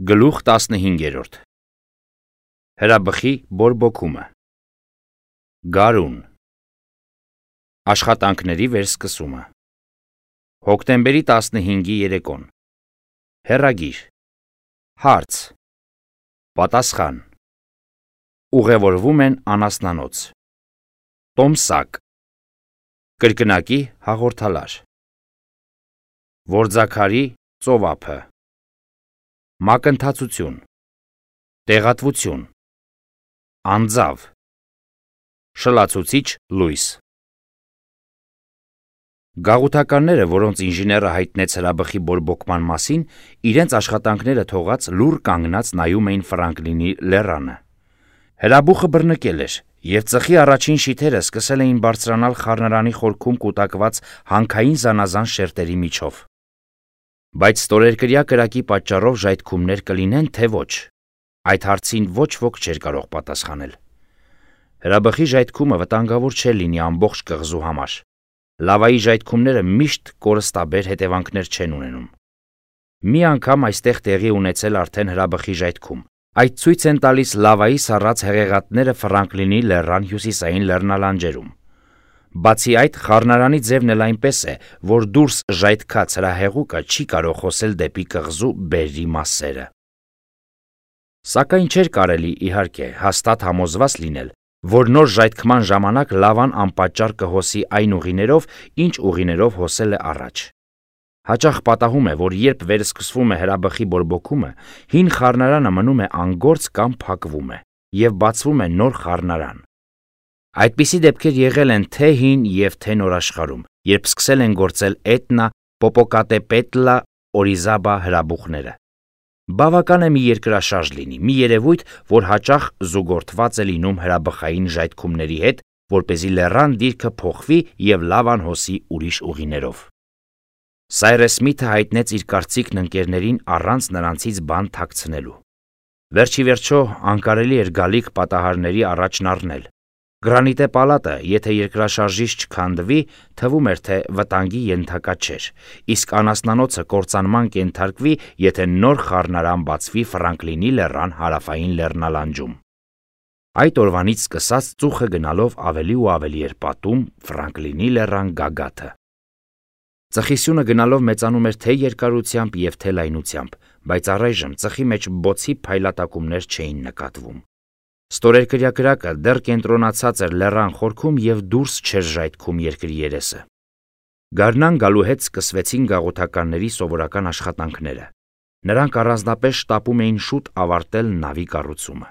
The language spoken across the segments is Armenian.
Գլուխ 15 Հրաբխի բորբոքումը Գարուն Աշխատանքների վերսկսումը Հոկտեմբերի 15-ի երեկոն Հեռագիր Հարց Պատասխան Ուղևորվում են անասնանոց Տոմսակ Կրկնակի հաղորդալար Որձաքարի ծովափը Մակընթացություն Տեղատվություն Անձավ Շլացուցիչ լույս Գաղութականները, որոնց ինժեները հայտնեց հրաբխի բորբոքման մասին, իրենց աշխատանքները թողած լուռ կանգնած նայում էին Ֆրանկլինի լեռանը։ Հրաբուխը բռնկել էր, և ծխի առաջին շիթերը սկսել էին բարձրանալ խառնարանի խորքում կուտակված հանքային զանազան շերտերի միջով։ Բայց ստորերկրյա կրակի պատճառով ժայթքումներ կլինեն, թե ոչ։ Այդ հարցին ոչ ոք չէր կարող պատասխանել։ Հրաբխի ժայթքումը վտանգավոր չէր լինի ամբողջ կղզու համար։ Լավայի ժայթքումները միշտ կորստաբեր հետևանքներ չեն ունենում։ Մի անգամ այստեղ տեղի ունեցել արդեն հրաբխի ժայթքում։ Այդ ցույց են տալիս լավայի սառած հեղեղատները Ֆրանկլինի լեռան հյուսիսային լեռնալանջերում։ Բացի այդ, խառնարանի ձևն էլ այնպես է, որ դուրս ժայթքած հրահեղուկը չի կարող խոսել դեպի կղզու բերրի մասերը։ Սակայն չէր կարելի, իհարկե, հաստատ համոզված լինել, որ նոր ժայթքման ժամանակ լավան անպատճառ կհոսի այն ուղիներով, ինչ ուղիներով հոսել է առաջ։ Հաճախ պատահում է, որ երբ վերսկսվում է հրաբխի բորբոքումը, հին խառնարանը մնում է անգործ կամ փակվում է, և բացվում է նոր խառնարան։ Այդպիսի դեպքեր եղել են թե հին և թե նոր աշխարհում, երբ սկսել են գործել Էտնա, Պոպոկատեպետլա, Օրիզաբա հրաբուխները։ Բավական է մի երկրաշարժ լինի, մի երևույթ, որ հաճախ զուգորդված է լինում հրաբխային ժայթքումների հետ, որպեսզի լեռան դիրքը փոխվի և լավան հոսի ուրիշ ուղիներով։ Սայրես Սմիթը հայտնեց իր կարծիքն ընկերներին առանց նրանցից բան թաքցնելու։ Վերջիվերջո անկարելի էր գալիք պատահարների առաջն առնել։ Գրանիտե պալատը, եթե երկրաշարժից չքանդվի, թվում էր, թե վտանգի ենթակա չէր, իսկ անասնանոցը կործանման կենթարկվի, եթե նոր խառնարան բացվի Ֆրանկլինի լեռան հարավային լեռնալանջում։ Այդ օրվանից սկսած ծուխը գնալով ավելի ու ավելի էր պատում Ֆրանկլինի լեռան գագաթը։ Ծխի գնալով մեծանում էր թե երկարությամբ և թե լայնությամբ, բայց առայժմ ծխի մեջ բոցի փայլատակումներ չէին նկատվում։ Ստորերկրյա կրակը դեռ կենտրոնացած էր լեռան խորքում և դուրս չէր ժայթքում երկրի երեսը։ Գարնան գալու հետ սկսվեցին գաղութականների սովորական աշխատանքները։ Նրանք առանձնապես շտապում էին շուտ ավարտել նավի կառուցումը։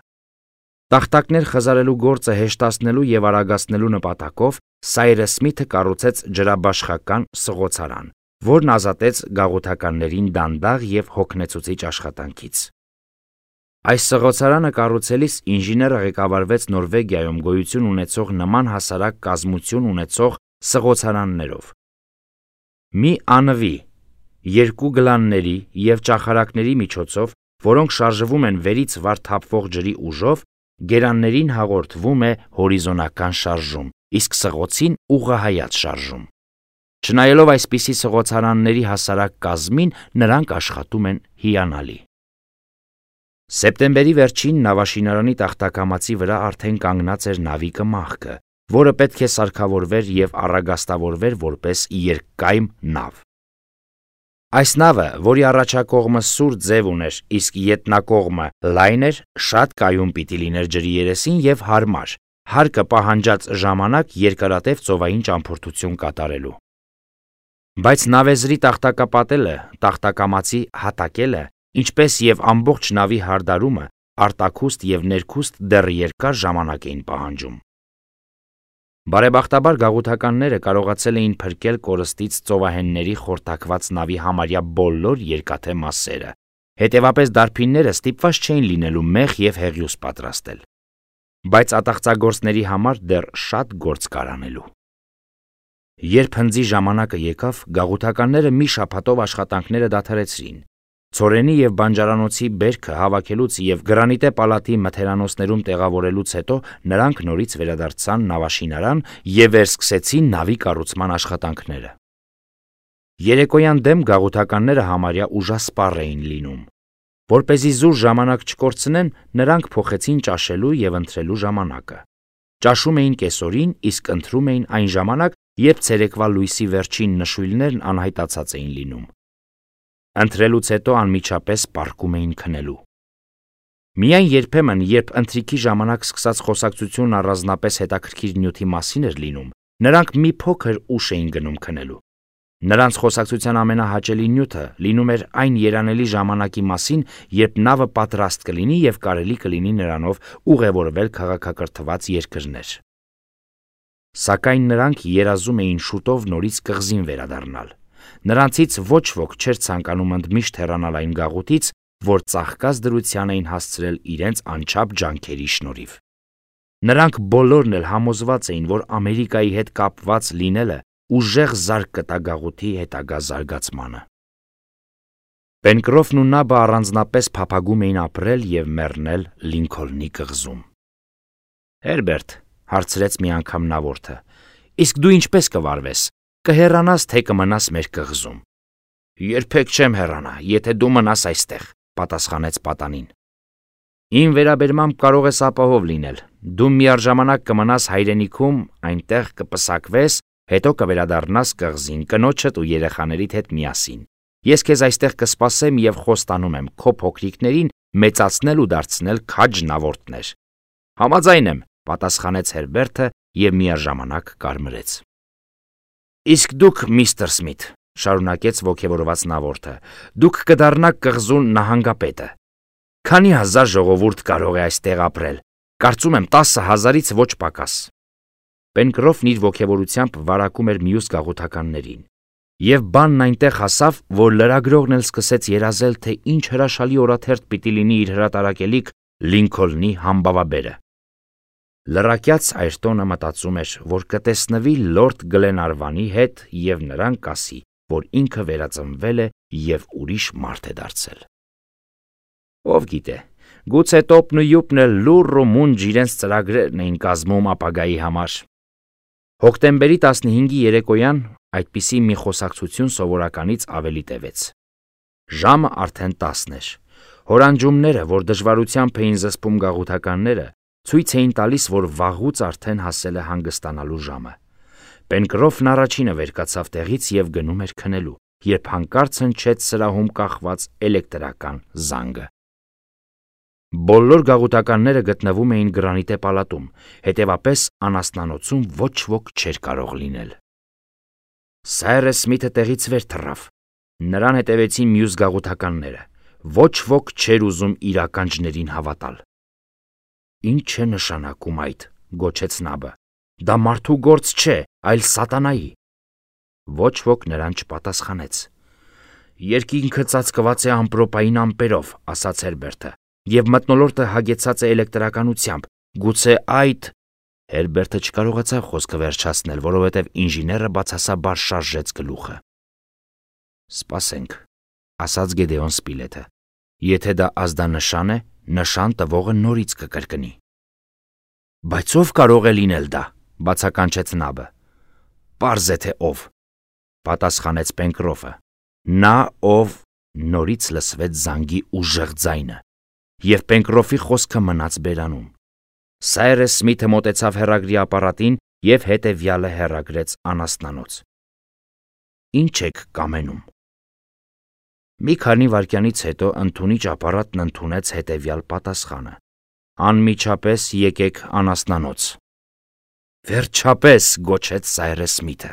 Տախտակներ խզարելու գործը հեշտացնելու և արագացնելու նպատակով Սայրես Սմիթը կառուցեց ջրաբաշխական սղոցարան, որն ազատեց գաղութականներին դանդաղ և հոգնեցուցիչ աշխատանքից։ Այս սղոցարանը կառուցելիս ինժեները ղեկավարվեց Նորվեգիայում գոյություն ունեցող նման հասարակ կազմություն ունեցող սղոցարաններով։ Մի անվի, երկու գլանների և ճախարակների միջոցով, որոնք շարժվում են վերից վար թափվող ջրի ուժով, գերաններին հաղորդվում է հորիզոնական շարժում, իսկ սղոցին ուղղահայաց շարժում։ Չնայելով այսպիսի սղոցարանների հասարակ կազմին, նրանք աշխատում են հիանալի։ Սեպտեմբերի վերջին նավաշինարանի տախտակամածի վրա արդեն կանգնած էր նավի կմախքը, որը պետք է սարքավորվեր և առագաստավորվեր որպես երկկայմ նավ։ Այս նավը, որի առաջակողմը սուր ձև ուներ, իսկ ետնակողմը լայն էր, շատ կայուն պիտի լիներ ջրի երեսին և հարմար, հարկը պահանջած ժամանակ երկարատև ծովային ճամփորդություն կատարելու։ Բայց նավեզրի տախտակապատելը, տախտակամածի հատակելը, ինչպես և ամբողջ նավի հարդարումը, արտաքուստ և ներքուստ դեռ երկար ժամանակ էին պահանջում։ Բարեբախտաբար գաղութականները կարողացել էին փրկել կորստից ծովահենների խորտակված նավի համարյա բոլոր երկաթե մասերը, հետևապես դարբինները ստիպված չէին լինելու մեղ և հեղյուս պատրաստել։ Բայց ատաղծագործների համար դեռ շատ գործ կար անելու։ Երբ հնձի ժամանակը եկավ, գաղութականները մի շաբաթով աշխատանքները դադարեցրին։ Ցորենի և բանջարանոցի բերքը հավաքելուց և գրանիտե պալատի մթերանոցներում տեղավորելուց հետո նրանք նորից վերադարձան նավաշինարան և վերսկսեցին նավի կառուցման աշխատանքները։ Երեկոյան դեմ գաղութականները համարյա ուժասպառ էին լինում։ Որպեսզի զուր ժամանակ չկորցնեն, նրանք փոխեցին ճաշելու եւ ընթրելու ժամանակը։ Ճաշում էին կեսօրին, իսկ ընթրում էին այն ժամանակ, երբ ցերեկվա լույսի վերջին նշույլներն անհայտացած էին լինում։ Ընթրելուց հետո անմիջապես պառկում էին քնելու։ Միայն երբեմն, երբ ընթրիքի ժամանակ սկսած խոսակցությունն առանձնապես հետաքրքիր նյութի մասին էր լինում, նրանք մի փոքր ուշ էին գնում քնելու։ Նրանց խոսակցության ամենահաճելի նյութը լինում էր այն երանելի ժամանակի մասին, երբ նավը պատրաստ կլինի եւ կարելի կլինի նրանով ուղևորվել քաղաքակրթված երկրներ։ Սակայն նրանք երազում էին շուտով նորից կղզին վերադառնալ։ Նրանցից ոչ ոք չէր ցանկանում ընդմիշտ հեռանալ այն գաղութից, որ ծաղկած դրության էին հասցրել իրենց անչափ ջանքերի շնորհիվ։ Նրանք բոլորն էլ համոզված էին, որ Ամերիկայի հետ կապված լինելը ուժեղ զարկ կտա գաղութի հետագա զարգացմանը։ Պենկրոֆն ու Նաբը առանձնապես փափագում էին ապրել եւ մեռնել Լինքոլնի կղզում։ Հերբերտ, հարցրեց մի անգամ նավորդը, իսկ դու ինչպես կվարվես, կհեռանաս թե կմնաս մեր կղզում։ Երբեք չեմ հեռանա, եթե դու մնաս այստեղ, պատասխանեց պատանին։ Իմ վերաբերմամբ կարող ես ապահով լինել, դու միառժամանակ կմնաս հայրենիքում, այնտեղ կպսակվես, հետո կվերադառնաս կղզին կնոջդ ու երեխաներիդ հետ միասին։ Ես քեզ այստեղ կսպասեմ եւ խոստանում եմ քո փոքրիկներին մեծացնել ու դարձնել քաջ նավորդներ։ Համաձայն եմ, պատասխանեց Հերբերտը եւ միաժամանակ կարմրեց։ Իսկ դուք, միստր Սմիթ, շարունակեց ոգևորված նավորդը, դուք կդառնաք կղզուն նահանգապետը։ Քանի հազար ժողովուրդ կարող է այստեղ ապրել։ Կարծում եմ 10,000-ից ոչ պակաս։ Պենկրոֆն իր ոգևորությամբ վարակում էր մյուս գաղութականներին։ Եվ բանն այնտեղ հասավ, որ լրագրողն էլ սկսեց երազել, թե ինչ հրաշալի օրաթերթ պիտի լինի իր հրատարակելիք Լինքոլնի համբավաբերը։ Լրակյաց Այրտոնը մտածում էր, որ կտեսնվի լորդ Գլենարվանի հետ եւ նրան կասի, որ ինքը վերածնվել է եւ ուրիշ մարդ է դարձել։ Ով գիտե, գուցե Տոպն ու Յուպն էլ լուռ ու մունջ իրենց ծրագրերն էին կազմում ապագայի համար։ Հոկտեմբերի 15-ի երեկոյան այդպիսի մի խոսակցություն սովորականից ավելի տևեց։ Ժամը արդեն 10 էր։ Հորանջումները, որ դժվարությամբ էին զսպում գաղութականները, ցույց էին տալիս, որ վաղուց արդեն հասել է հանգստանալու ժամը։ Պենկրոֆն առաջինը վեր կացավ տեղից եւ գնում էր քնելու, երբ հանկարծ հնչեց սրահում կախված էլեկտրական զանգը։ Բոլոր գաղութականները գտնվում էին գրանիտե պալատում, հետևապես անասնանոցում ոչ ոք չէր կարող լինել։ Սայրս Սմիթը տեղից վեր թռավ։ Նրան հետևեցին մյուս գաղութականները։ Ոչ ոք չէր ուզում իր ականջներին հավատալ։ Ինչ է նշանակում այդ, գոչեց Նաբը։ Դա մարդու գործ չէ, այլ սատանայի։ Ոչ ոք նրան չպատասխանեց։ Երկինքը ծածկված է ամպրոպային ամպերով, ասաց Հերբերտը, եւ մթնոլորտը հագեցած է էլեկտրականությամբ։ Գուցե այդ… Հերբերտը չկարողացավ խոսքը վերջացնել, որովհետև ինժեները բացասաբար շարժեց գլուխը։ Սպասենք, ասաց Գեդեոն Սպիլեթը։ Եթե դա ազդանշան է, նշան տվողը նորից կկրկնի։ Բայց ով կարող է լինել դա, բացականչեց Նաբը։ Պարզ է թե ով, պատասխանեց Պենկրոֆը։ Նա ով… Նորից լսվեց զանգի ուժեղ ձայնը, եւ Պենկրոֆի խոսքը մնաց բերանում։ Սայրս Սմիթը մոտեցավ հեռագրի ապարատին եւ հետեւյալը հեռագրեց անասնանոց։ Ինչ եք կամենում։ Մի քանի վայրկյանից հետո ընդունիչ ապարատն ընդունեց հետեւյալ պատասխանը. Անմիջապես եկեք անասնանոց։ Վերջապես, գոչեց Սայրս Սմիթը։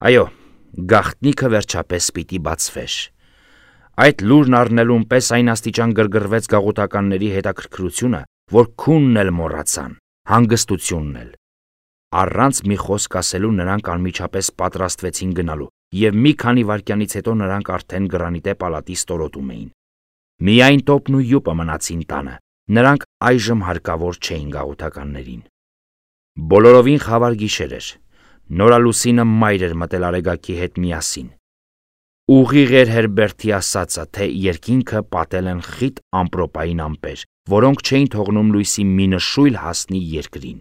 Այո, գաղտնիքը վերջապես պիտի բացվեր։ Այդ լուրն առնելուն պես այն աստիճան գրգռվեց գաղութականների հետաքրքրությունը, որ քունն էլ մոռացան, հանգստությունն էլ։ Առանց մի խոսք ասելու նրանք անմիջապես պատրաստվեցին գնալու, եւ մի քանի վայրկյանից հետո նրանք արդեն գրանիտե պալատի ստորոտում էին։ Միայն Տոպն ու Յուպը մնացին տանը, նրանք այժմ հարկավոր չէին գաղութականներին։ Բոլորովին խավար գիշեր էր։ Նորալուսինը մայր էր մտել Արեգակի հետ միասին։ Ուղիղ էր Հերբերտի ասածը, թե երկինքը պատել են խիտ ամպրոպային ամպեր, որոնք չէին թողնում լույսի մի նշույլ հասնի երկրին։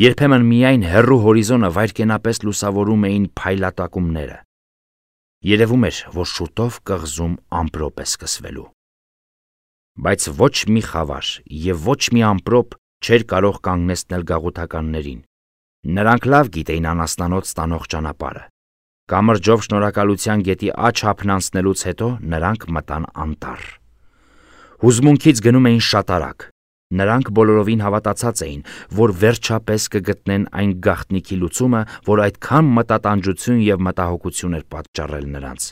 Երբեմն միայն հեռու հորիզոնը վայրկենապես լուսավորում էին փայլատակումները։ Երևում էր, որ շուտով կղզում ամպրոպ է սկսվելու։ Բայց ոչ մի խավար եւ ոչ մի ամպրոպ չէր կարող կանգնեցնել գաղութականներին։ Նրանք լավ գիտեին անասնանոց ստանող ճանապարհը։ Կամրջով շնորհակալության գետի աջ հապն անցնելուց հետո նրանք մտան անտառ։ Հուզմունքից գնում էին շատ արագ։ Նրանք բոլորովին հավատացած էին, որ վերջապես կգտնեն այն գաղտնիքի լուծումը, որ այդքան մտատանջություն եւ մտահոգություն էր պատճառել նրանց։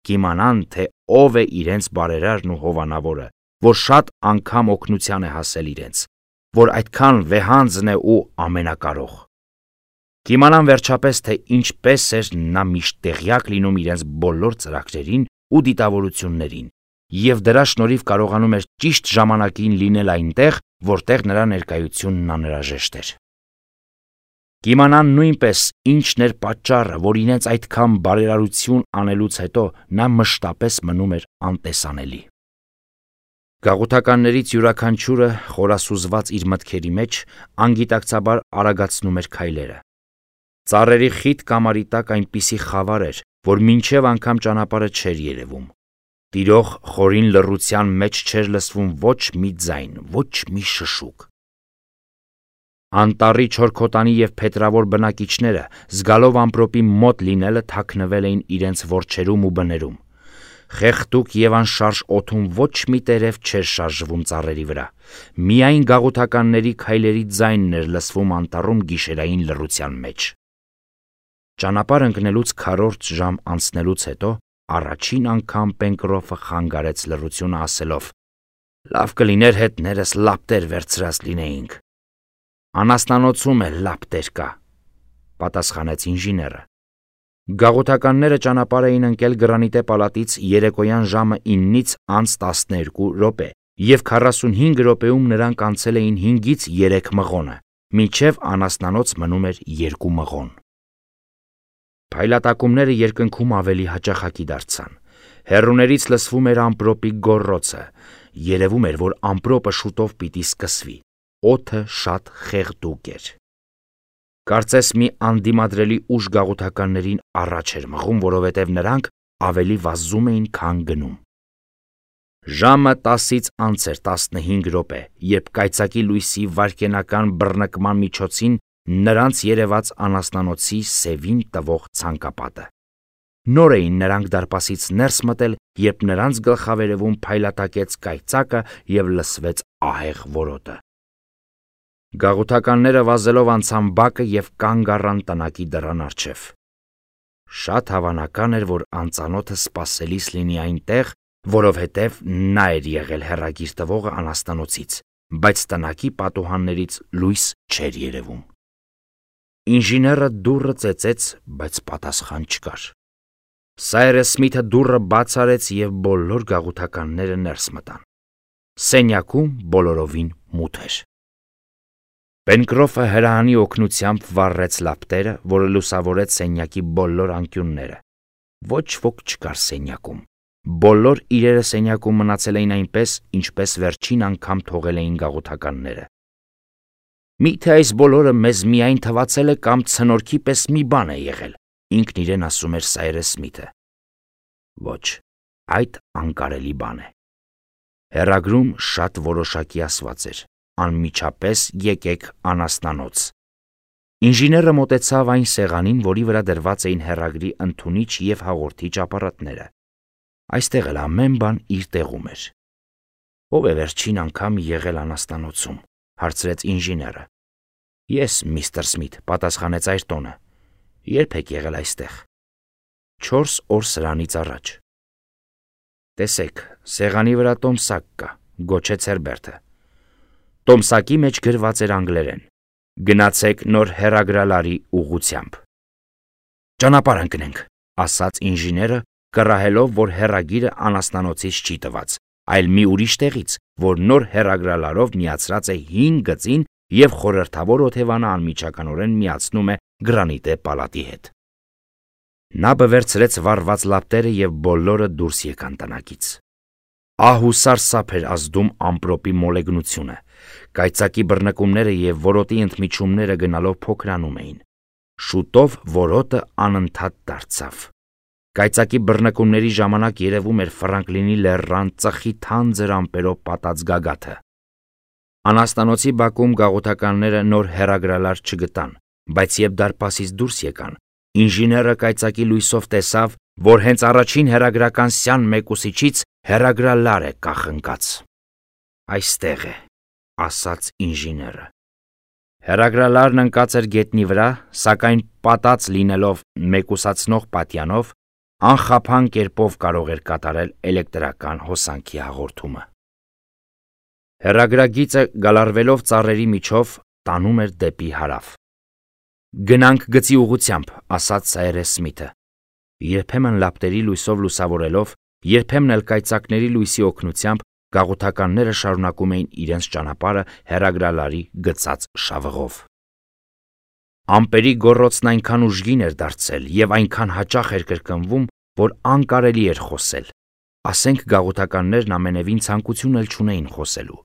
Կիմանան, թե ով է իրենց բարերարն ու հովանավորը, որ շատ անգամ օգնության է հասել իրենց, որ այդքան վեհանձն է ու ամենակարող։ Կիմանան վերջապես, թե ինչպես էր նա միշտ տեղյակ լինում իրենց բոլոր ծրագրերին ու դիտավորություններին, եւ դրա շնորհիվ կարողանում էր ճիշտ ժամանակին լինել այնտեղ, որտեղ նրա ներկայությունն անհրաժեշտ էր։ Կիմանան նույնպես ինչն էր պատճառը, որ իրենց այդքան բարերարություն անելուց հետո նա մշտապես մնում էր անտեսանելի։ Գաղութականներից յուրաքանչյուրը խորասուզված իր մտքերի մեջ անգիտակցաբար արագացնում էր քայլերը։ Ծառերի խիտ կամարի տակ այնպիսի խավար էր, որ մինչև անգամ ճանապարհը չէր երևում։ Տիրող խորին լռության մեջ չէր լսվում ոչ մի ձայն, ոչ մի շշուկ։ Անտառի չորքոտանի եւ փետրավոր բնակիչները, զգալով ամպրոպի մոտ լինելը, թաքնվել էին իրենց որջերում ու բներում։ Խեղդուկ եւ անշարժ օդում ոչ մի տերև չէր շարժվում ծառերի վրա։ Միայն գաղութականների քայլերի ձայնն էր լսվում անտառում գիշերային լռության մեջ։ Ճանապարհ ընկնելուց քառորդ ժամ անցնելուց հետո առաջին անգամ Պենկրոֆը խանգարեց լռությունը ասելով. «Լավ կլիներ հետներս լապտեր վերցրած լինեինք»։ «Անասնանոցում էլ լապտեր կա», պատասխանեց ինժեները։ Գաղութականները ճանապարհ էին ընկել Գրանիտե պալատից երեկոյան ժամը 9-ից անց 12 րոպե, եւ 45 րոպեում նրանք անցել էին 5-ից 3 մղոնը, մինչև անասնանոց մնում էր 2 մղոն։ Փայլատակումները երկնքում ավելի հաճախակի դարձան։ Հեռուներից լսվում էր ամպրոպի գոռոցը։ Երևում էր, որ ամպրոպը շուտով պիտի սկսվի։ Օդը շատ խեղդուկ էր։ Կարծես մի անդիմադրելի ուժ գաղութականներին առաջ էր մղում, որովհետև նրանք ավելի վազում էին, քան գնում։ Ժամը 10-ից անց էր 15 րոպե, երբ կայծակի լույսի վայրկենական բռնկման միջոցին նրանց երևաց անասնանոցի սևին տվող ցանկապատը։ Նոր էին նրանք դարպասից ներս մտել, երբ նրանց գլխավերևում փայլատակեց կայծակը եւ լսվեց ահեղ որոտը։ Գաղութականները վազելով անցան բակը եւ կանգ առան տնակի դռան առջև։ Շատ հավանական էր, որ անծանոթը սպասելիս լինի այնտեղ, որովհետև նա էր եղել հեռագիր տվողը անասնանոցից, բայց տնակի պատուհաններից լույս չէր երևում։ Ինժեները դուռը ծեծեց, բայց պատասխան չկար։ Սայրես Սմիթը դուռը բաց արեց եւ բոլոր գաղութականները ներս մտան։ Սենյակում բոլորովին մութ էր։ Պենկրոֆը հրահանի օգնությամբ վառեց լապտերը, որը լուսավորեց սենյակի բոլոր անկյունները։ Ոչ ոք չկար սենյակում։ Բոլոր իրերը սենյակում մնացել էին այնպես, ինչպես վերջին անգամ թողել էին գաղութականները։ Միթե այս բոլորը մեզ միայն թվացել է կամ ցնորքի պես մի բան է եղել, ինքն իրեն ասում էր Սայրես Սմիթը։ Ոչ, այդ անկարելի բան է։ Հեռագրում շատ որոշակի ասված էր. անմիջապես եկեք անասնանոց։ Ինժեները մոտեցավ այն սեղանին, որի վրա դրված էին հեռագրի ընդունիչ եւ հաղորդիչ ապարատները։ Այստեղ էլ ամեն բան իր տեղում էր։ Ո՞վ է վերջին անգամ եղել անասնանոցում, հարցրեց ինժեները։ Ես, միստր Սմիթ, պատասխանեց Այրտոնը։ Երբ եք եղել այստեղ։ 4 օր սրանից առաջ։ Տեսեք, սեղանի վրա տոմսակ կա, գոչեց Հերբերտը։ Տոմսակի մեջ գրված էր անգլերեն. Գնացեք նոր հեռագրալարի ուղղությամբ։ Ճանապարհ ընկնենք, ասաց ինժեները, կռահելով, որ հեռագիրը անասնանոցից չի տված, այլ մի ուրիշ տեղից, որ նոր հեռագրալարով միացրած է 5 գծին եւ խորհրդավոր օթևանը անմիջականորեն միացնում է Գրանիտե պալատի հետ։ Նա բվերցրեց վառված լապտերը եւ բոլորը դուրս եկան տնակից։ Ահ ու սարսափ էր ազդում ամպրոպի մոլեգնությունը։ Կայծակի բռնկումները եւ որոտի ընդմիջումները գնալով փոքրանում էին։ Շուտով որոտը անընդհատ դարձավ։ Կայծակի բռնկումների ժամանակ երևում էր Ֆրանկլինի լեռան ծխի թանձր ամպերով պատած գագաթը։ Անաստանոցի բակում գաղութականները նոր հեռագրալար չգտան, բայց երբ դարպասից դուրս եկան, ինժեները կայծակի լույսով տեսավ, որ հենց առաջին հեռագրական սյան մեկուսիչից հեռագրալար է կախնկած։ «Այստեղ է», ասաց ինժեները։ Հեռագրալարն ընկած էր գետնի վրա, սակայն պատած լինելով մեկուսացնող պատյանով, անխափան կերպով կարող էր կատարել էլեկտրական հոսանքի հաղորդումը։ Հեռագրագիծը գալարվելով ծառերի միջով տանում էր դեպի հարավ։ «Գնանք գծի ուղղությամբ», ասաց Սայրես Սմիթը։ Երբեմն լապտերի լույսով լուսավորելով, երբեմն էլ կայծակների լույսի օգնությամբ գաղութականները շարունակում էին իրենց ճանապարհը հեռագրալարի գծած շավղով։ Ամպերի գոռոցն այնքան ուժգին էր դարձել եւ այնքան հաճախ էր կրկնվում, որ անկարելի էր խոսել։ Ասենք գաղութականներն ամենևին ցանկություն էլ չունեին խոսելու։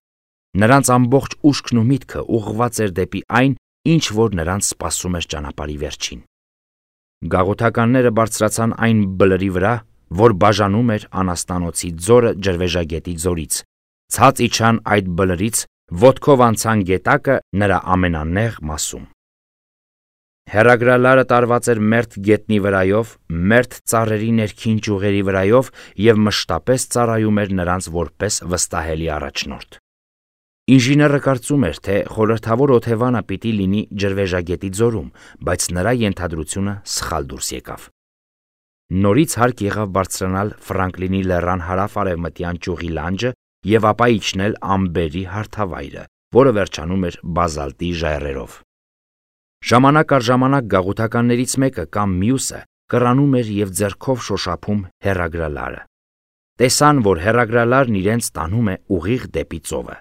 Նրանց ամբողջ ուշքն ու միտքը ուղղված էր դեպի այն, ինչ որ նրանց սպասում էր ճանապարհի վերջին։ Գաղութականները բարձրացան այն բլրի վրա, որ բաժանում էր Անաստանոցի ձորը Ջրվեժագետի ձորից, ցած իջան այդ բլրից, ոտքով անցան գետակը նրա ամենանեղ մասում։ Հեռագրալարը տարված էր մերթ գետնի վրայով, մերթ ծառերի ներքին ճյուղերի վրայով եւ մշտապես ծառայում էր նրանց որպես վստահելի առաջնորդ։ Ինժեները կարծում էր, թե խորհրդավոր օթևանը պիտի լինի Ջրվեժագետի ձորում, բայց նրա ենթադրությունը սխալ դուրս եկավ։ Նորից հարկ եղավ բարձրանալ Ֆրանկլինի լեռան հարավ-արևմտյան ճյուղի լանջը եւ ապա իջնել ամբերի հարթավայրը, որը վերջանում էր բազալտի ժայռերով։ Ժամանակ առ ժամանակ գաղութականներից մեկը կամ մյուսը կռանում էր եւ ձեռքով շոշափում հեռագրալարը։ Տեսան, որ հեռագրալարն իրենց տանում է ուղիղ դեպի ծովը։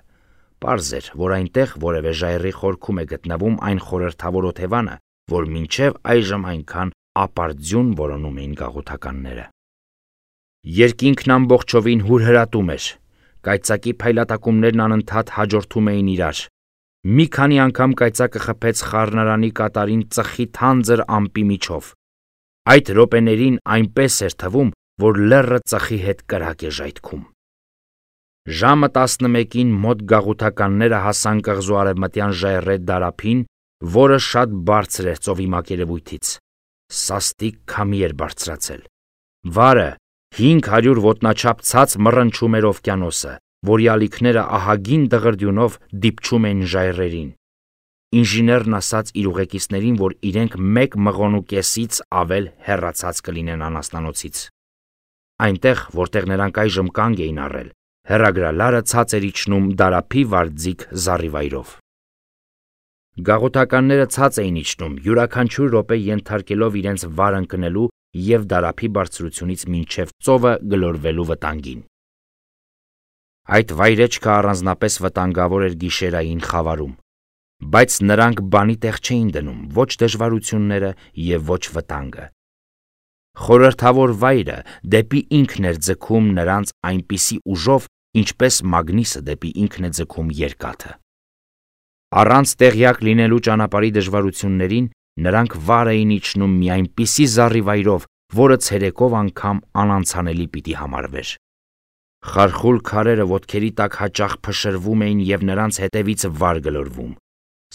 Պարզ էր, որ այնտեղ որևէ ժայռի խորքում է գտնվում այն խորհրդավոր օթևանը, որ մինչև այժմ այնքան ապարդյուն որոնում էին գաղութականները։ Երկինքն ամբողջովին հուրհրատում էր։ Կայծակի փայլատակումներն անընդհատ հաջորդում էին իրար։ Մի քանի անգամ կայծակը խփեց խառնարանի կատարին ծխի թանձր ամպի միջով։ Այդ րոպեներին այնպես էր թվում, որ լեռը ծխի հետ կրակ է ժայթքում։ Ժամը 11-ին մոտ գաղութականները հասան կղզու արևմտյան ժայռե դարափին, որը շատ բարձր էր ծովի մակերևույթից։ Սաստիկ քամի էր բարձրացել։ Վարը 500 ոտնաչափ ցած մռնչում էր օվկիանոսը, որի ալիքները ահագին դղրդյունով դիպչում էին ժայռերին։ Ինժեներն ասաց իր ուղեկիցներին, որ իրենք 1 մղոնու կեսից ավել հեռացած կլինեն Անաստանոցից։ Այնտեղ, որտեղ նրանք այժմ կանգ էին առել, հեռագրալարը ցած էր իջնում դարափի վարձիկ զառիվայրով։ Գաղութականները ցած էին իջնում, յուրաքանչյուր րոպե ենթարկելով իրենց վար ընկնելու եւ դարափի բարձրությունից մինչև ծովը գլորվելու վտանգին։ Այդ վայրեջքը առանձնապես վտանգավոր էր գիշերային խավարում, բայց նրանք բանի տեղ չէին դնում ոչ դժվարությունները եւ ոչ վտանգը։ Խորհրդավոր վայրը դեպի ինքն էր ձգում նրանց այնպիսի ուժով, ինչպես մագնիսը դեպի ինքն է ձգում երկաթը։ Առանց տեղյակ լինելու ճանապարհի դժվարություններին նրանք վար էին իջնում մի այնպիսի զառիվայրով, որը ցերեկով անգամ անանցանելի պիտի համարվեր։ Խարխուլ քարերը ոտքերի տակ հաճախ փշրվում էին եւ նրանց հետևից վար գլորվում։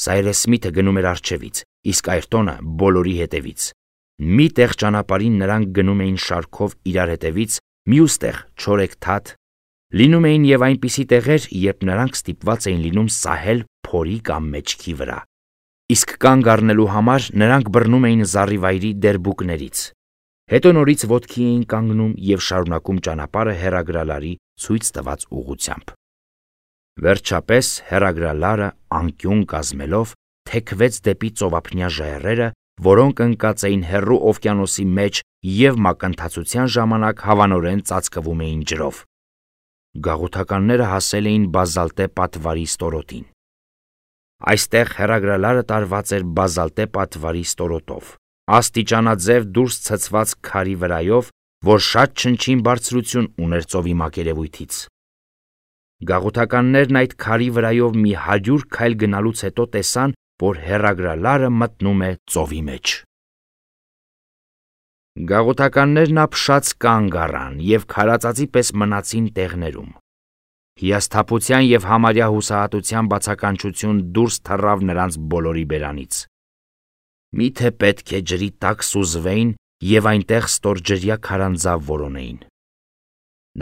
Սայրես Սմիթը գնում էր առջևից, իսկ Այրտոնը բոլորի հետևից։ Մի տեղ ճանապարհին նրանք գնում էին շարքով իրար հետևից, մյուս տեղ չորեքթաթ։ Լինում էին եւ այնպիսի տեղեր, երբ նրանք ստիպված էին լինում սահել փորի կամ մեջքի վրա։ Իսկ կանգ առնելու համար նրանք բռնում էին զառիվայրի դերբուկներից։ Հետո նորից ոտքի էին կանգնում եւ շարունակում ճանապարհը հեռագրալարի ցույց տված ուղղությամբ։ Վերջապես հեռագրալարը անկյուն կազմելով թեքվեց դեպի ծովափնյա ժայռերը, որոնք ընկած էին հեռու օվկիանոսի մեջ եւ մակընթացության ժամանակ հավանորեն ծածկվում էին ջրով։ Գաղութականները հասել էին բազալտե պատվարի ստորոտին։ Այստեղ հեռագրալարը տարված էր բազալտե պատվարի ստորոտով, աստիճանաձև դուրս ցցված քարի վրայով, որ շատ չնչին բարձրություն ուներ ծովի մակերևույթից։ Գաղութականներն այդ քարի վրայով մի 100 քայլ գնալուց հետո տեսան, որ հեռագրալարը մտնում է ծովի մեջ։ Գաղութականներն ապշած կանգ առան և քարածածի պես մնացին տեղներում։ Հիասթափության և համարյա հուսահատության բացականչություն դուրս թռավ նրանց բոլորի բերանից։ Միթե պետք է ջրի տակ սուզվեին և այնտեղ ստորջրյա քարանձավ որոնեին։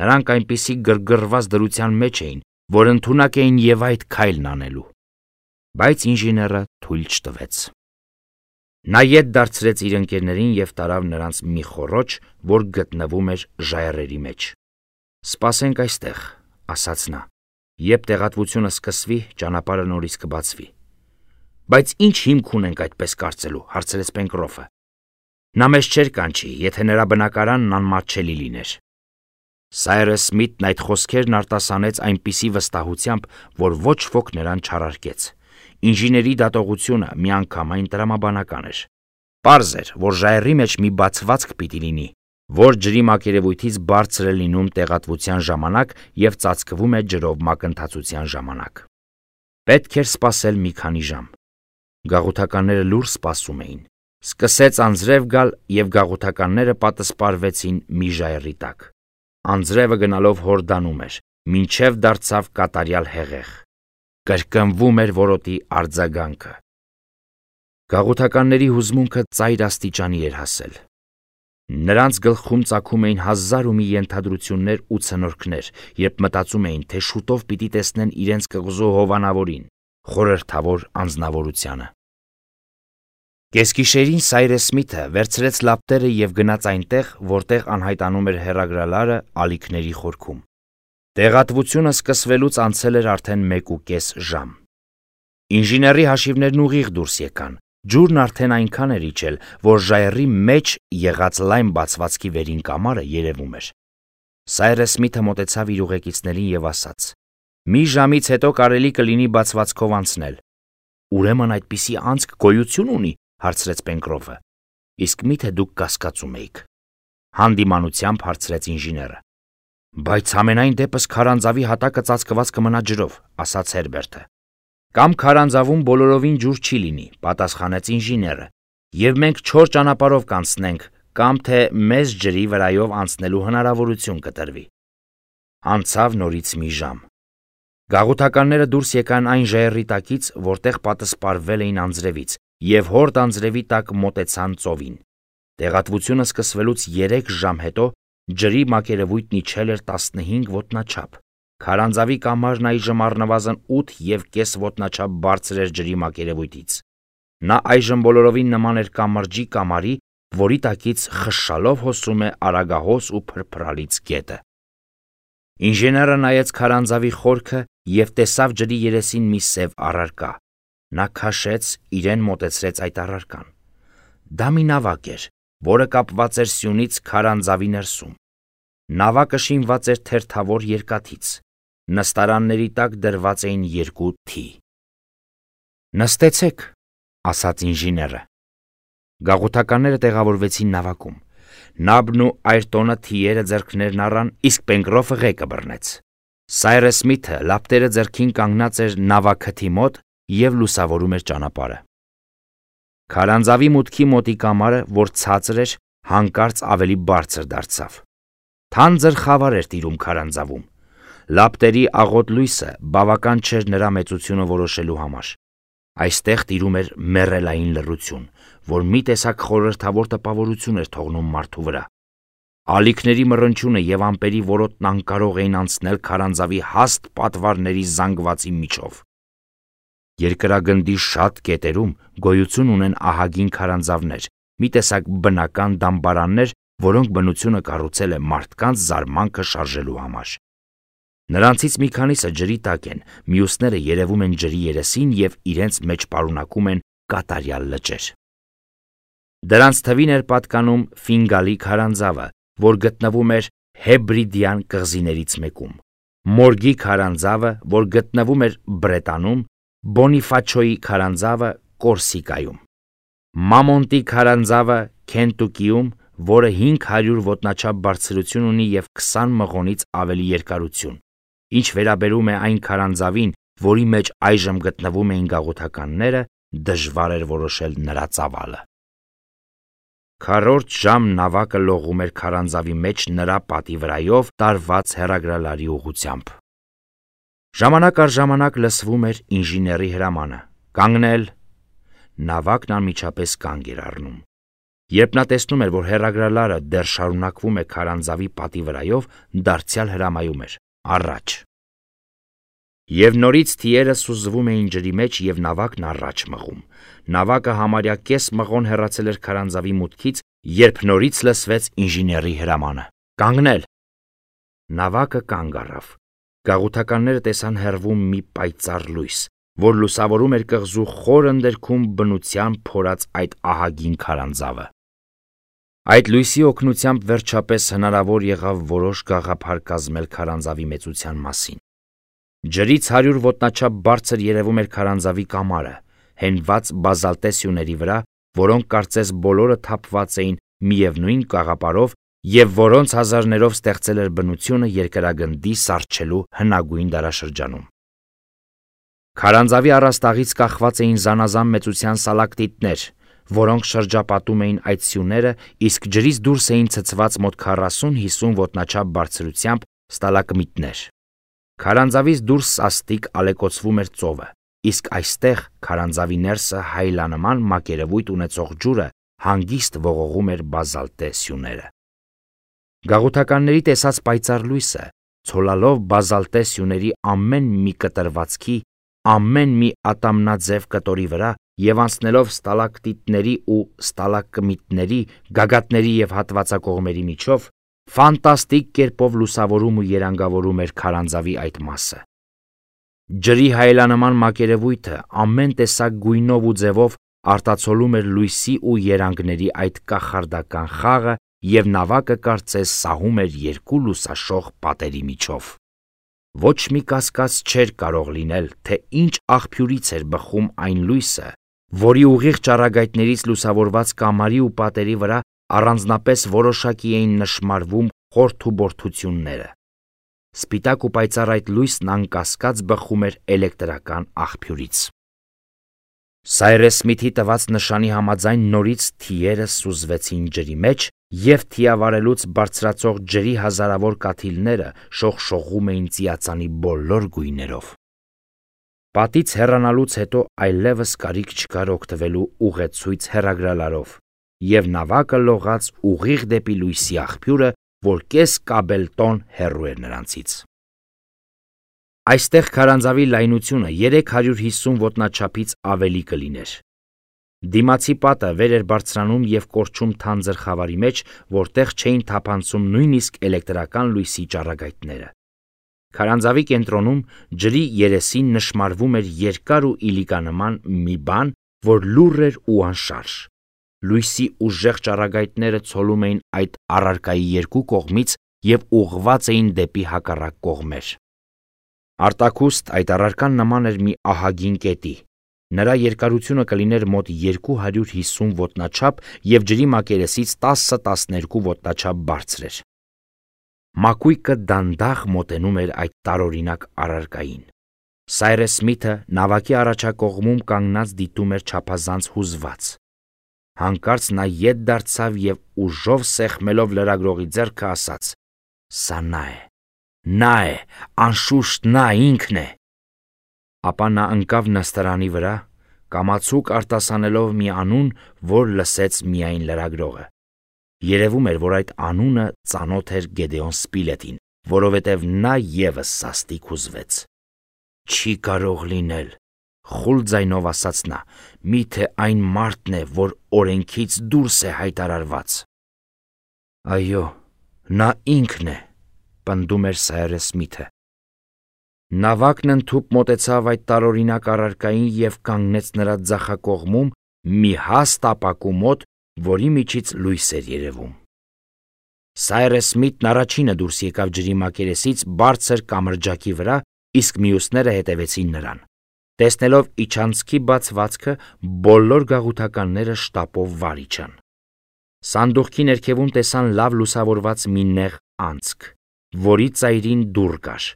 Նրանք այնպիսի գրգռված դրության մեջ էին, որ ընդունակ էին և այդ քայլն անելու։ Բայց ինժեները թույլ չտվեց։ Նա ետ դարձրեց իր ընկերներին և տարավ նրանց մի խոռոչ, որ գտնվում էր ժայռերի մեջ։ «Սպասենք այստեղ», ասաց նա, «երբ տեղատվությունը սկսվի, ճանապարհը նորից կբացվի»։ «Բայց ինչ հիմք ունենք այդպես կարծելու», հարցրեց Պենկրոֆը։ «Նա մեզ չէր կանչի, եթե նրա բնակարանն անմատչելի լիներ»։ Սայրս Սմիթն այդ խոսքերն արտասանեց այնպիսի վստահությամբ, որ ոչ ոք նրան չառարկեց։ Ինժեների դատողությունը միանգամայն տրամաբանական էր։ Պարզ էր, որ ժայռի մեջ մի բացվածք պիտի լինի, որ ջրի մակերևույթից բարձր է լինում տեղատվության ժամանակ և ծածկվում է ջրով մակընթացության ժամանակ։ Պետք էր սպասել մի քանի ժամ։ Գաղութականները լուռ սպասում էին։ Սկսեց անձրև գալ, և գաղութականները պատսպարվեցին մի ժայռի տակ։ Անձրևը գնալով հորդանում էր, մինչև դարձավ կատարյալ հեղեղ։ Կրկնվում էր որոտի արձագանքը։ Գաղութականների հուզմունքը ծայր աստիճանի էր հասել։ Նրանց գլխում ծագում էին հազար ու մի ենթադրություններ ու ցնորքներ, երբ մտածում էին, թե շուտով պիտի տեսնեն իրենց կղզու հովանավորին, խորհրդավոր անձնավորությանը։ Կեսգիշերին Սայրս Սմիթը վերցրեց լապտերը և գնաց այնտեղ, որտեղ անհայտանում էր հեռագրալարը ալիքների խորքում։ Տեղատվությունը սկսվելուց անցել էր արդեն 1.5 ժամ։ Ինժեների հաշիվներն ուղիղ դուրս եկան։ Ջուրն արդեն այնքան էր իջել, որ ժայռի մեջ եղած լայն բացվածքի վերին կամարը երևում էր։ Սայրս Սմիթը մոտեցավ իր ուղեկիցներին և ասաց. «Մի ժամից հետո կարելի կլինի բացվածքով անցնել»։ «Ուրեմն այդպիսի անցք գոյություն ունի», հարցրեց Պենկրոֆը։ «Իսկ միթե դուք կասկածում էիք», հանդիմանությամբ հարցրեց ինժեները։ «Բայց համենայն դեպս քարանձավի հատակը ծածկված կմնա ջրով», ասաց Հերբերտը։ «Կամ քարանձավում բոլորովին ջուր չի լինի», պատասխանեց ինժեները, «և մենք չոր ճանապարհով կանցնենք, կամ թե մեզ ջրի վրայով անցնելու հնարավորություն կտրվի»։ Անցավ նորից մի ժամ։ Գաղութականները դուրս եկան այն ժայռի տակից, որտեղ պատսպարվել էին անձրևից, և հորդ անձրևի տակ մոտեցան ծովին։ Տեղատվությունը սկսվելուց 3 ժամ հետո ջրի մակերևույթն իջել էր 15 ոտնաչափ։ Քարանձավի կամարն այժմ առնվազն 8.5 ոտնաչափ բարձր էր ջրի մակերևույթից։ Նա այժմ բոլորովին նման էր կամրջի կամարի, որի տակից խշշալով հոսում է արագահոս ու փրփրալից գետը։ Ինժեները նայեց քարանձավի խորքը և տեսավ ջրի երեսին մի սև առարկա։ Նա քաշեց, իրեն մոտեցրեց այդ առարկան։ Դա մի նավակ էր, որը կապված էր սյունից քարանձավի ներսում։ Նավակը շինված էր թերթավոր երկաթից։ Նստարանների տակ դրված էին 2 թի։ «Նստեցեք», ասաց ինժեները։ Գաղութականները տեղավորվեցին նավակում։ Նաբն ու Այրտոնը թիերը ձեռքներն առան, իսկ Պենկրոֆը ղեկը բռնեց։ Սայրս Սմիթը լապտերը ձեռքին կանգնած էր նավակթի մոտ և լուսավորում էր ճանապարհը։ Քարանձավի մուտքի մոտի կամարը, որ ցածր էր, հանկարծ ավելի բարձր դարձավ։ Թանձր խավար էր տիրում քարանձավում։ Լապտերի աղոտ լույսը բավական չէր նրա մեծությունը որոշելու համար։ Այստեղ տիրում էր մեռելային լռություն, որ մի տեսակ խորհրդավոր տպավորություն էր թողնում մարդու վրա։ Ալիքների մռնչյունը և ամպերի որոտն անկարող էին անցնել քարանձավի հաստ պատվարների զանգվածի միջով։ Երկրագնդի շատ կետերում գոյություն ունեն ահագին քարանձավներ, մի տեսակ բնական դամբարաններ, որոնք բնությունը կառուցել է մարդկանց զարմանքը շարժելու համար։ Նրանցից մի քանիսը ջրի տակ են, մյուսները երևում են ջրի երեսին և իրենց մեջ պարունակում են կատարյալ լճեր։ Դրանց թվին էր պատկանում Ֆինգալի քարանձավը, որ գտնվում էր Հեբրիդյան կղզիներից մեկում, Մորգի քարանձավը, որ գտնվում էր Բրետանում, Բոնիֆաչոյի քարանձավը Կորսիկայում, Մամոնտի քարանձավը Քենտուկիում, որը 500 ոտնաչափ բարձրություն ունի և 20 մղոնից ավելի երկարություն, ինչ վերաբերում է այն քարանձավին, որի մեջ այժմ գտնվում էին գաղութականները, դժվար էր որոշել նրա ծավալը։ Քառորդ ժամ նավակը լողում էր քարանձավի մեջ նրա պատի վրայով տարված հեռագրալարի ուղղությամբ։ Ժամանակ առ ժամանակ լսվում էր ինժեների հրամանը. «Կանգնել»։ Նավակն անմիջապես կանգ էր առնում։ Երբ նա տեսնում էր, որ հեռագրալարը դեռ շարունակվում է քարանձավի պատի վրայով, դարձյալ հրամայում էր. «Առաջ»։ Եվ նորից թիերը սուզվում էին ջրի մեջ և նավակն առաջ մղում։ Նավակը համարյա կես մղոն հեռացել էր քարանձավի մուտքից, երբ նորից լսվեց ինժեների հրամանը. «Կանգնել»։ Նավակը կանգ առավ։ Գաղութականները տեսան հեռվում մի պայծառ լույս, որ լուսավորում էր կղզու խոր ընդերքում բնությամբ փորած այդ ահագին քարանձավը։ Այդ լույսի օգնությամբ վերջապես հնարավոր եղավ որոշ գաղափար կազմել քարանձավի մեծության մասին։ Ջրից 100 ոտնաչափ բարձր երևում էր քարանձավի կամարը, հենված բազալտե սյուների վրա, որոնք կարծես բոլորը թափված էին միևնույն կաղապարով և որոնց հազարներով ստեղծել էր բնությունը երկրագնդի սառչելու հնագույն դարաշրջանում։ Քարանձավի առաստաղից կախված էին զանազան մեծության սալակտիտներ, որոնք շրջապատում էին այդ սյուները, իսկ ջրից դուրս էին ցցված մոտ 40-50 ոտնաչափ բարձրությամբ ստալագմիտներ։ Քարանձավից դուրս սաստիկ ալեկոծվում էր ծովը, իսկ այստեղ քարանձավի ներսը հայլանման մակերևույթ ունեցող ջուրը հանգիստ ողողում էր բազալտե սյուները։ Գաղութականների տեսած պայծառ լույսը, ցոլալով բազալտե սյուների ամեն մի կտրվածքի, ամեն մի ատամնաձև կտորի վրա և անցնելով ստալակտիտների ու ստալագմիտների, գագաթների և հատվածակողմերի միջով, ֆանտաստիկ կերպով լուսավորում ու երանգավորում էր քարանձավի այդ մասը։ Ջրի հայելանման մակերևույթը ամեն տեսակ գույնով ու ձևով արտացոլում էր լույսի ու երանգների այդ կախարդական խաղը և նավակը կարծես սահում էր երկու լուսաշող պատերի միջով։ Ոչ մի կասկած չէր կարող լինել, թե ինչ աղբյուրից էր բխում այն լույսը, որի ուղիղ ճառագայթներից լուսավորված կամարի ու պատերի վրա առանձնապես որոշակի էին նշմարվում խորթուբորթությունները։ Սպիտակ ու պայծառ այդ լույսն անկասկած բխում էր էլեկտրական աղբյուրից։ Սայրես Սմիթի տված նշանի համաձայն նորից թիերը սուզվեցին ջրի մեջ, և թիավարելուց բարձրացող ջրի հազարավոր կաթիլները շողշողում էին ծիածանի բոլոր գույներով։ Պատից հեռանալուց հետո այլևս կարիք չկար օգտվելու ուղեցույց հեռագրալարով, և նավակը լողաց ուղիղ դեպի լույսի աղբյուրը, որ կես կաբելտոն հեռու էր նրանցից։ Այստեղ քարանձավի լայնությունը 350 ոտնաչափից ավելի կլիներ։ Դիմացի պատը վեր էր բարձրանում և կորչում թանձր խավարի մեջ, որտեղ չէին թափանցում նույնիսկ էլեկտրական լույսի ճառագայթները։ Քարանձավի կենտրոնում ջրի երեսին նշմարվում էր երկար ու իլիկանման մի բան, որ լուռ էր ու անշարժ։ Լույսի ուժեղ ճառագայթները ցոլում էին այդ առարկայի երկու կողմից և ուղղված էին դեպի հակառակ կողմեր։ Արտաքուստ այդ առարկան նման էր մի ահագին կետի։ Նրա երկարությունը կլիներ մոտ 250 ոտնաչափ և ջրի մակերեսից 10-12 ոտնաչափ բարձր էր։ Մակույկը դանդաղ մոտենում էր այդ տարօրինակ առարկային։ Սայրես Սմիթը նավակի առաջակողմում կանգնած դիտում էր չափազանց հուզված։ Հանկարծ նա ետ դարձավ և ուժով սեղմելով լրագրողի ձեռքը ասաց. «Սա նա է, անշուշտ նա ինքն է»։ Ապա նա ընկավ նստարանի վրա, կամացուկ արտասանելով մի անուն, որ լսեց միայն լրագրողը։ Երևում էր, որ այդ անունը ծանոթ էր Գեդեոն Սպիլետին, որովհետև նա ևս սաստիկ հուզվեց։ «Չի կարող լինել», խուլ ձայնով ասաց նա, «միթե այն մարդն է, որ օրենքից դուրս է հայտարարված»։ «Այո, նա ինքն է», պնդում էր Սայրես Սմիթը։ Նավակն ընդհուպ մոտեցավ այդ տարօրինակ առարկային և կանգնեց նրա ձախակողմում մի հաստ ապակու մոտ, որի միջից լույս էր երևում։ Սայրես Սմիթն առաջինը դուրս եկավ ջրի մակերեսից բարձր կամրջակի վրա, իսկ մյուսները հետևեցին նրան։ Տեսնելով իջանցքի բացվածքը, բոլոր գաղութականները շտապով վար իջան։ Սանդուղքի ներքևում տեսան լավ լուսավորված մի նեղ անցք, որի ծայրին դուռ կար։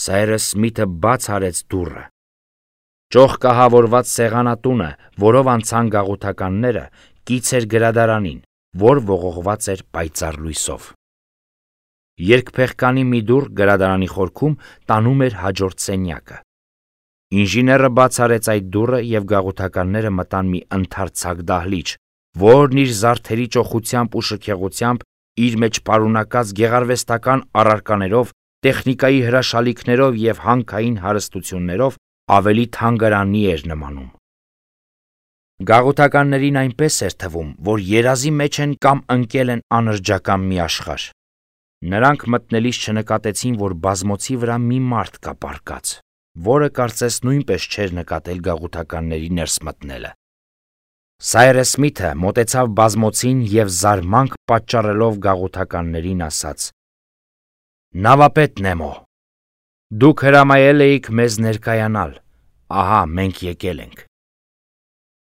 Սայրես Սմիթը բաց արեց դուռը։ Ճոխկահավորված սեղանատունը, որով անցան գաղութականները, կից էր գրադարանին, որ ողողված էր պայծառ լույսով։ Երկփեղկանի մի դուռ գրադարանի խորքում տանում էր հաջորդ սենյակը։ Ինժեները բաց արեց այդ դուռը և գաղութականները մտան մի ընդարձակ դահլիճ, որն իր զարդերի ճոխությամբ ու շքեղությամբ, իր մեջ պարունակած գեղարվեստական առարկաներով, տեխնիկայի հրաշալիքներով և հանքային հարստություններով ավելի թանգարանի էր նմանում։ Գաղութականներին այնպես էր թվում, որ երազի մեջ են կամ ընկել են անրջական մի աշխարհ։ Նրանք մտնելիս չնկատեցին, որ բազմոցի վրա մի մարդ կա պառկած, որը կարծես նույնպես չէր նկատել գաղութականների ներս մտնելը։ Սայրես Սմիթը մոտեցավ բազմոցին և զարմանք պատճառելով գաղութականներին ասաց. «Նավապետ Նեմո, դուք հրամայել էիք մեզ ներկայանալ, ահա մենք եկել ենք»։